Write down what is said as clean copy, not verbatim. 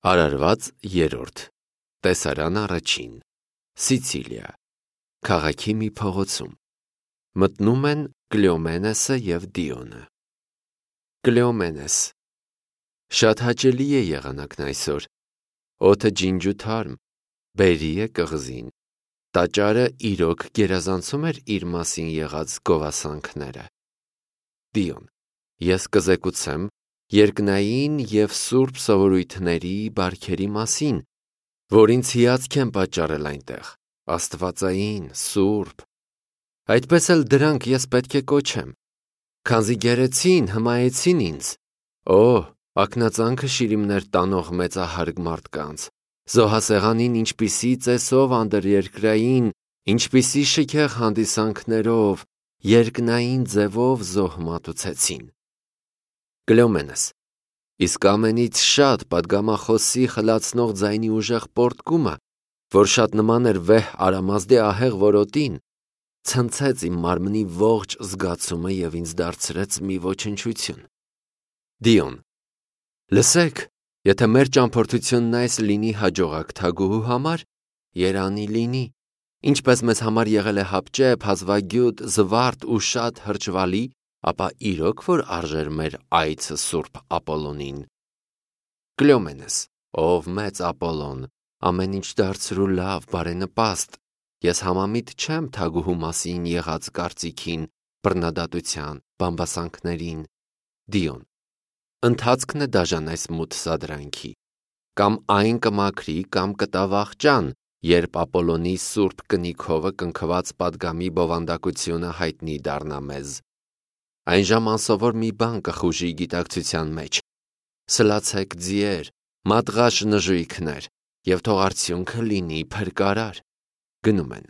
Արարված երրորդ Տեսարան առաջին Սիցիլիա Քաղաքի մի փողոցում Մտնում են Կլեոմենեսը և Դիոնը։ Կլեոմենես Շատ հաճելի է եղանակն այսօր, օդը ջինջ ու թարմ, բերի է կղզին, տաճարը իրոք գերազանցում էր իր մասին եղած գովասանքները։ Դիոն Ես կզեկուցեմ երկնային և սուրբ սովորույթների բարքերի մասին, որ ինձ հիացք են պատճառել այնտեղ, աստվածային, սուրբ, այդպես էլ դրանք ես պետք է կոչեմ, քանզի գերեցին, հմայեցին ինձ, ակնածանքը շիրիմներ տանող մեծահարգ մարդկանց, զոհասեղանին ինչպիսի ծեսով անդրերկրային, ինչպիսի շքեղ հանդիսանքներով, երկնային ձևով զոհ մատուցեցին։ Կլեոմենես Իսկ ամենից շատ պատգամախոսի խլացնող ձայնի ուժեղ պոռթկումը, որ շատ նման էր վեհ արամազդի ահեղ որոտին, ցնցեց իմ մարմնի ողջ զգացումը և ինձ դարձրեց մի ոչնչություն։ Դիոն Լսեք, եթե մեր ճամփորդությունն այս լինի հաջողակ թագուհու համար, երանի լինի, ինչպես մեզ համար եղել է հապճեպ, հազվագյուտ, զվարթ ու շատ հրճվալի, ապա իրոք որ արժեր մեր այցը սուրբ Ապոլոնին։ Կլեոմենես Ով մեծ Ապոլոն, ամեն ինչ դարձր ու լավ, բարենպաստ, ես համամիտ չեմ թագուհու մասին եղած կարծիքին, բռնադատության, բամբասանքներին։ Դիոն Ընթացքն է դաժան այս մութ սադրանքի, կամ այն կմաքրի, կամ կտա վախճան, երբ Ապոլոնի սուրբ կնիքովը կնքված պատգամի բովանդակությունը հայտնի դառնա մեզ։ Այն ժամ անսովոր մի բան կխուժի գիտակցության մեջ։ Սլացեք ձիեր, մատղաշ նժույգներ, և թող արդյունքը լինի փրկարար։ Գնում են։